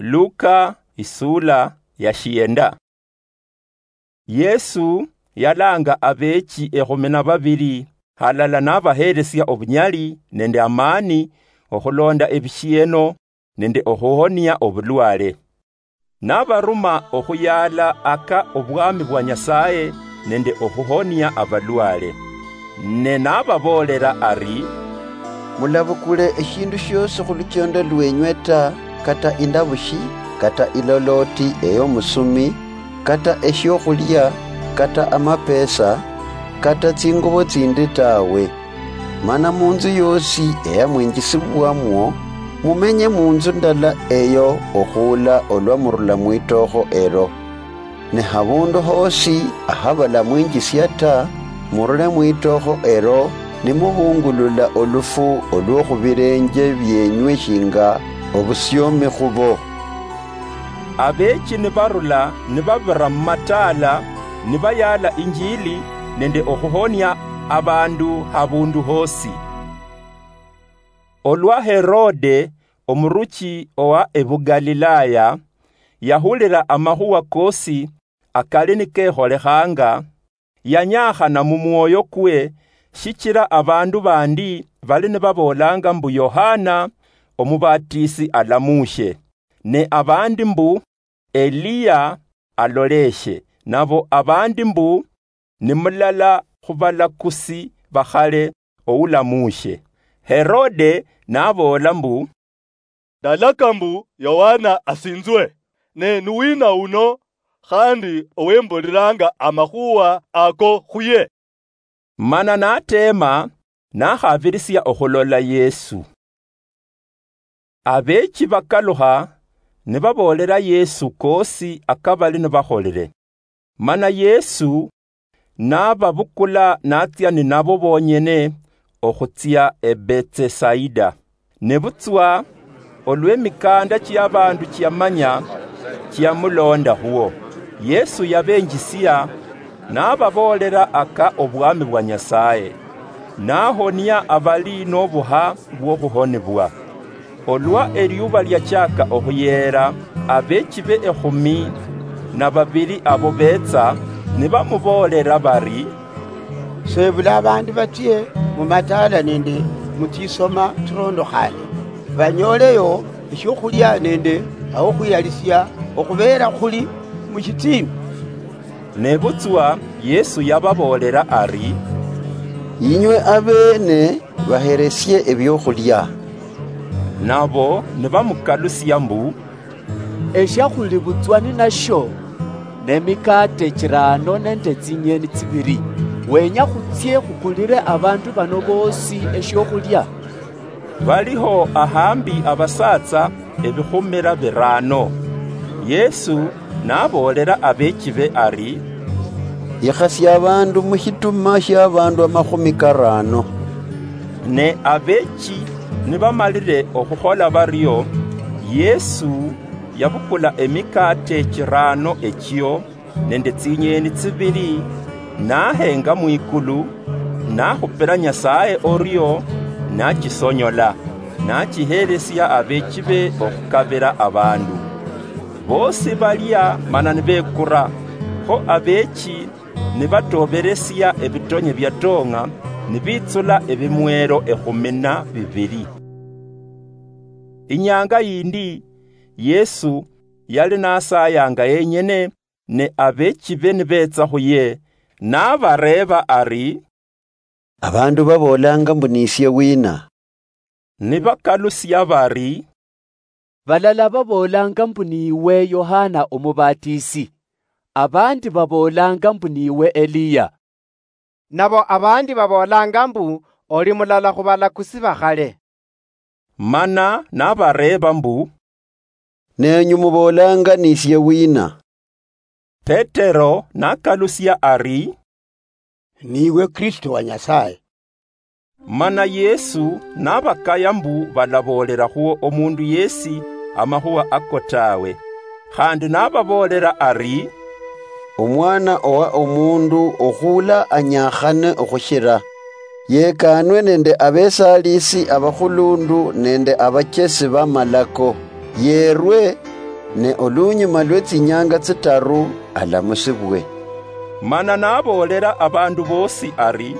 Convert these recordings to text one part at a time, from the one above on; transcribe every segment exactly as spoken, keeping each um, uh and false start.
Luka isula ya shienda. Yesu yalanga abechi ekhumi na babili, halala nabaheresia obunyali nende amani okhulonda ebishieno nende okhuhonia obulwale. Nabaruma okhuyala aka obwami bwa Nyasaye nende okhuhonia abalwale. Ne nababoolera ari, "Mulabukule eshindu shiosi khuluchendo lwenywe ta, kata indabushi, kata iloloti eyomusumi, kata eshiokhulia, kata amapesa, kata tsingubo tsindi tawe. Mana munzu yosi eyamwinjisibwamwo, mumenye munzu ndala eyo okhuula olwa murula mwitokho elo. Ne habundu hosi ahabala mwinjisia ta, murule mwitokho elo nimubungulula olufu olwokhubilenje bienywe shinga obusiomi khubo." Abechi nibarula nibabira mumataala, nibayala injili nende okhuhonia abandu habundu hosi. Olwa Herode, omuruchi owa ebuGalilaya, yahulira amakhuwa kosi akali nikekholekhanga, yanyakhana mumwoyo kwe, shichira abandu bandi bali nibaboolanga mbu Yohana Omubatisi alamushe, ne abandi mbu Eliya aloleshe, nabo abandi mbu ni mulala khubalakusi bakhale oulamushe. Herode naboola mbu, "Ndalaka mbu Yohana asinzwe, ne nuwina uno khandi owembuliranga amakhuwa ako khuye?" Mana nateema nakhabirisia okhulola Yesu. Abechi bakalukha nibaboolera Yesu kosi akabali nibakholire. Mana Yesu nababukula natsia ninabo bonyene okhutsia e Betsesaida. Nebutswa olw'emikanda chiabandu chiamanya chiamulonda khuo, Yesu yabenjisia, nababoolera aka obwami bwa Nyasaye, nahonia abali nobuha bwokhuhonibwa. Olwa eliuba liachaka okhuyeera, abechibe ekhumi na babili abo betsa, nibamuboolera bari, "Sebula abandu batsie mumataala nende mutsisoma tsirondokhane, banyoleyo eshiokhulia nende ahokhwiyalisia okhubeera khuli mushitsiimi." Nebutswa Yesu yababoolera ari, "Inywe abeene baheresie ebiokhulia." Nabo nibamukalusia mbu, "Eshiakhuli butswa ninashio nemikaate chirano nende tsinyeni tsibili. Wenya khutsie khukulire abandu bano boosi eshiokhulia?" Baliho ahambi abasatsa ebikhumira birano. Yesu naboolera abechibe ari, "Yikhasia abandu mushituma shiabandu amakhumi karano." Ne abechi nibamalire okhukhola bario, Yesu yabukula emikaate chirano echio nende tsinyeni tsibili, nahenga mwikulu, nakhupira Nyasaye orio, nachisonyola, nachihelesia abechibe okhukabira abandu. Bosi balia mana nibekura, kho abechi nibatoberesia ebitonye biatong'a, nibitsula ebimwero ekhumi na bibili. Inyanga yindi, Yesu yali nasayanga yenyene, ne abechibe nibetsa khuye, nabareeba ari, "Abandu baboolanga mbu nisie wina?" Nibakalusia bari, "Balala baboolanga mbu niiwe Yohana Omubatisi, abandi baboolanga mbu niiwe Eliya, nabo abandi baboolanga mbu oli mulala khubalakusi bakhale." Mana nabareeba mbu, "Nenyu muboolanga nisie wina?" Petero nakalusia ari, "Niiwe Kristo wa Nyasaye." Mana Yesu nabakaya mbu balaboolera khuo omundu yesi amakhuwa ako tawe. Khandi nababoolera ari, "Omwana owa omundu okhuula anyakhane okhushira, yekanwe nende abesalisi abakhulundu nende abachesi bamalako, yerwe ne olunyuma lwe tsinyanga tsitaru alamusibwe. Mana naboolera abandu bosi ari,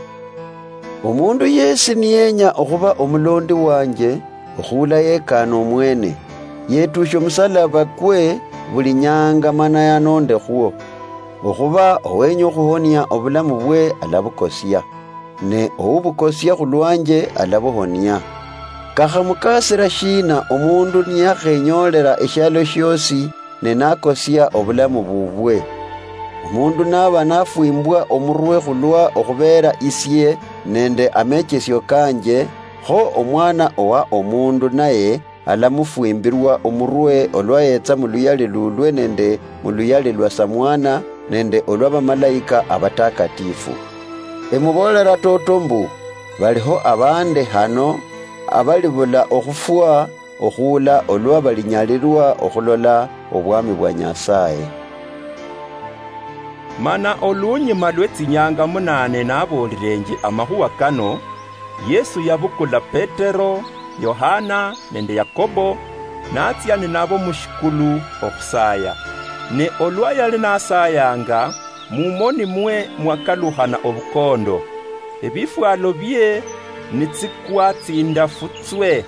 "Omundu yesi niyenya okhuba omulondi wanje, okhula yekana omwene, yetushe omusalaba kwe buli nyanga mana yanondekhwo. Okhuba owenya okhuhonia obulamu bwe alabukosia, ne oubukosia khulwanje alabuhonia. Kakhamukasira shina omundu niyakhenyolera eshialo shiosi ne nakosia obulamu bubwe? Omundu naba nafwimbwa omurwe khulwa okhubeera isie nende amechesio kanje, kho Omwana owa Omundu naye alamufwimbirwa omurwe olwa yetsa muluyali lulwe nende muluyali lwa Samwana nende olwa bamalaika abatakatifu. Emuboolera toto mbu, baliho abande hano abalibula okhufwa okhuula olwa balinyalirwa okhulola obwami bwa Nyasaye." Mana olunyuma lwe tsinyanga munane nabolilenje amakhuwa kano, Yesu yabukula Petero, Yohana nende Yakobo, natsia ninabo mushikulu okhusaya. Ne olwa yali nasayanga, mumoni mwe mwakalukhana obukondo, ebifwalo bie nitsikwa tsindafu tswe.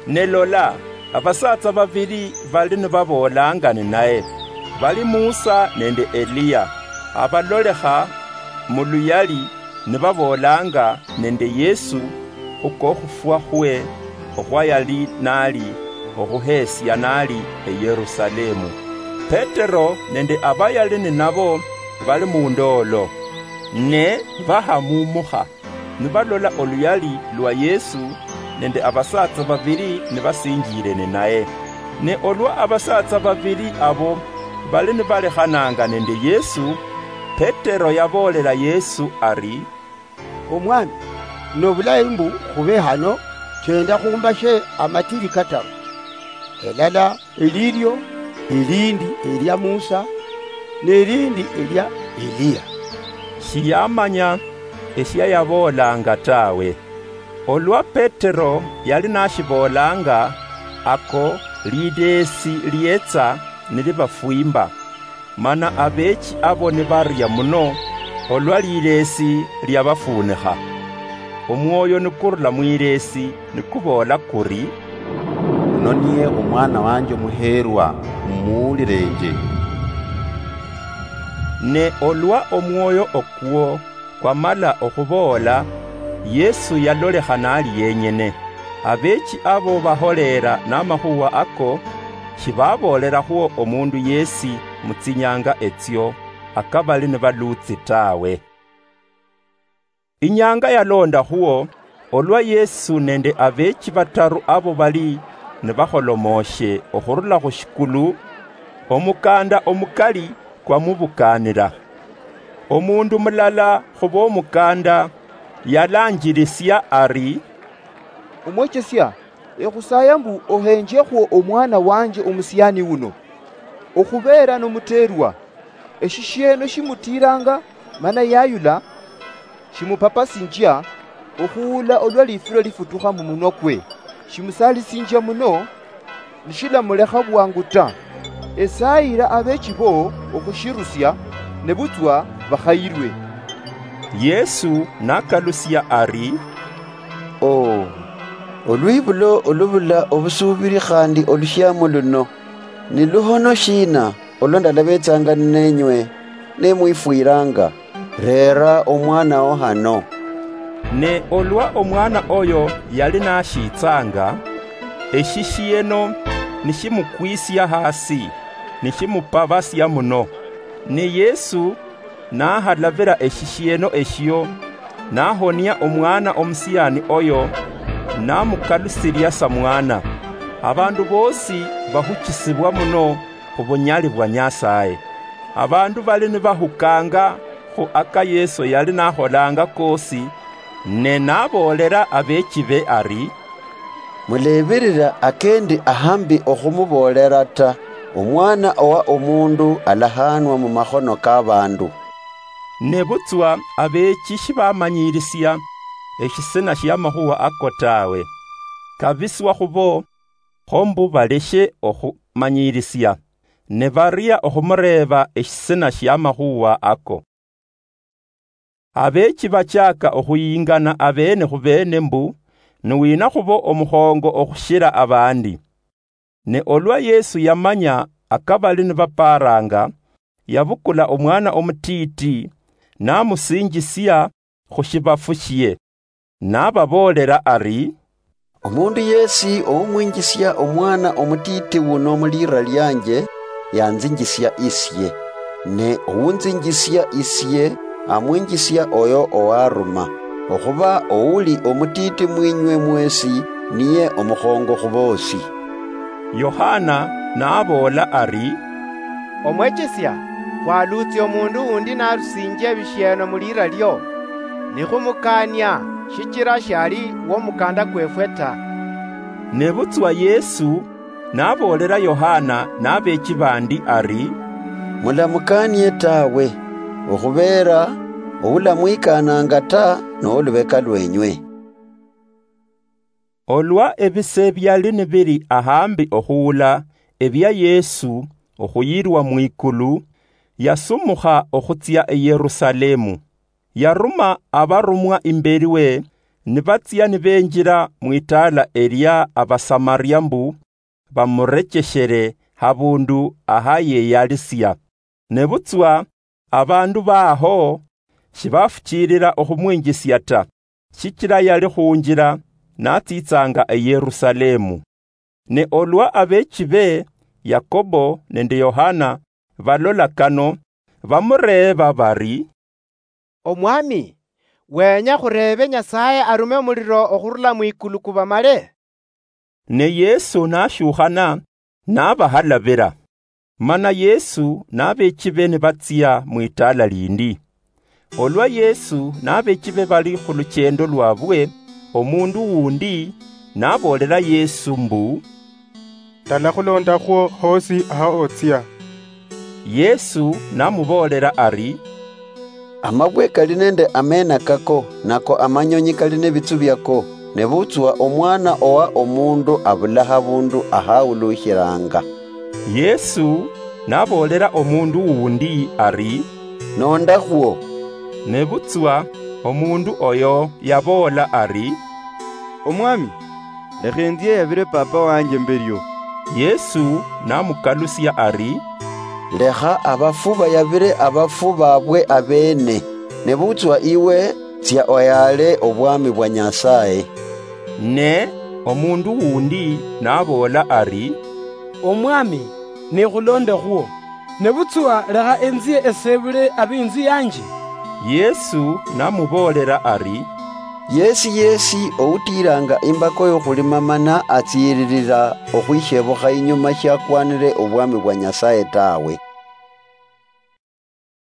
Ne lola, abasatsa babili bali nibaboolanga ninaye, bali Musa nende Eliya, abalolekha muluyali nibaboolanga nende Yesu khukokhufwa khwe okhwa yali nali okhuhesia nali eYerusalemu. Petero nende abayali ninabo bali mundoolo, ne bahamumukha, nibalola oluyali lwa Yesu nende abasatsa babili nibasinjire ninaye. Ne olwa abasatsa babili abo bali nibalekhananga nende Yesu, Petero yaboolela Yesu ari, "Omwami, nobulayi mbu khube hano, chenda khumbashe amatili kataru, elala elilio, elindi elia Musa, nelindi elia Eliya." Shiyamanya eshia yaboolanga tawe. Olwa Petero yali nashiboolanga, ako lideesi lietsa nilibafwimba, mana abeechi abo nibaria muno olwa lileesi liabafuunikha. Omwoyo nikurula mwileesi nikuboola kuri, "Uno niye Omwana wanje omuheerwa, mumuwulilenje." Ne olwa omwoyo okwo kwamala okhuboola, Yesu yalolekha nali yenyene. Abeechi abo baholeera namakhuwa ako, shibaboolerakhuo omundu yesi mutsinyanga etsio, akabali nibaluutsi tawe. Inyanga yalondakhwo, olwa Yesu nende abeechi bataru abo bali nibakholomoshe okhurula khushikulu, omukanda omukali kwamubukaanila. Omundu mulala khubomukanda yalanjilisia ari, "Omwechesia, ekhusaaya mbu ohenjekhwo omwana wanje omusiani uno, okhubeera nomuteerwa. Eshishieno shimutiiranga mana yayula, shimupapasinjia okhuula olwa lifiro lifutukha mumunwa kwe. Shimusalisinjia muno, nishilamulekha bwangu ta. Esaayira abeechi bo okhushirusia, nebutswa bakhayirwe." Yesu nakalusia ari, "Oo, olwibulo olubula obusuubiri khandi olushiamo luno, ni luhono shiina olwa ndalabetsanga ninenywe, ne mwifwiranga? Reera omwanawo hano." Ne olwa omwana oyo yali nashitsanga, eshishieno nishimukwisia hasi, nishimupabasia muno. Ne Yesu nahalavira eshishieno eshio, nahonia omwana omusiani oyo, namukalusilia sa mwana. Abandu bosi bahuchisibwa muno khubunyali bwa Nyasaye. Abandu bali nibahukanga khu aka Yesu yali nakholanga kosi, ne naboolera abeechibe ari, "Mulebirira akendi ahambi okhumuboolera ta, Omwana owa Omundu alahanwa mumakhono kabandu." Nebutswa abeechi shibamanyirisia eshisina shiamakhuwa ako tawe, kabiswa khubo, kho mbu baleshe okhu-, manyirisia, ne baria okhumureeba eshisina shiamakhuwa ako. Abeechi bachaka okhuyingana abeene khubeene mbu, niwina khuba omukhongo okhushira abandi. Ne olwa Yesu yamanya akabali nibaparanga, yabukula omwana omutiiti, namusinjisia khushibafu shie, nababoolera ari, "Omundu yesi oumwinjisia omwana omutiiti wuno mulira lianje, yanzinjisia isie. Ne ounzinjisia isie, amwinjisia oyo owaruma. Okhuba ouli omutiiti mwinywe mwesi, niye omukhongo khuboosi." Yohana naboola ari, "Omwechesia, khwaluutsia omundu undi narusinjia ebishieno mulira lio, nikhumukania, shichira shiali womukanda kwefwe ta." Nebutswa Yesu naboolera Yohana nabeechi bandi ari, "Mulamukanie tawe, okhubeera oulamwikananga ta nowolubeka lwenywe." Olwa ebise biali nibiri ahambi okhuula ebia Yesu okhuyirwa mwikulu, yasumukha okhutsia e Yerusalemu. Yaruma abarumwa imberi we, nibatsia nibenjira mwitaala elia Abasamaria mbu bamurecheshere habundu ahayeyalisia. Nebutswa abandu baho shibafuchilila okhumwinjisia ta, shichila yali khunjila natsitsanga e Yerusalemu. Ne olwa abeechi be Yakobo nende Yohana balola kano, bamureeba bari, "Omwami, wenya khureebe Nyasaye arume omuliro okhurula mwikulu kubamale?" Ne Yesu nashukhana, nabahalabira. Mana Yesu nabeechi be nibatsia mwitaala lindi. Olwa Yesu nabeechi be bali khuluchendo lwabwe, omundu wundi naboolera Yesu mbu, "Ndalakhulondakhwo hosi aha otsia." Yesu namuboolera ari, "Amabwe kali nende ameena kako, nako amanyonyi kali nebitsu biako, nebutswa omwana owa omundu abula habundu ahawulushilanga." Yesu naboolera omundu wundi ari, "Nondakhwo." Nebutswa omundu oyo yaboola ari, "Omwami, lekha enzie eyabire papa wanje mberio." Yesu namukalusia ari, "Lekha abafu bayabire abafu babwe abeene, nebutswa iwe tsia oyaale obwami bwa Nyasaye." Ne omundu wundi naboola ari, "Omwami, nikhulondekhwo, nebutswa lekha enzie esebule abeinzu yanje." Yesu namuboolera ari, "Yesi yesi outiilanga imbako yokhulima mana atsiililila okhwishebukha inyuma shiakwanire obwami bwa Nyasaye tawe,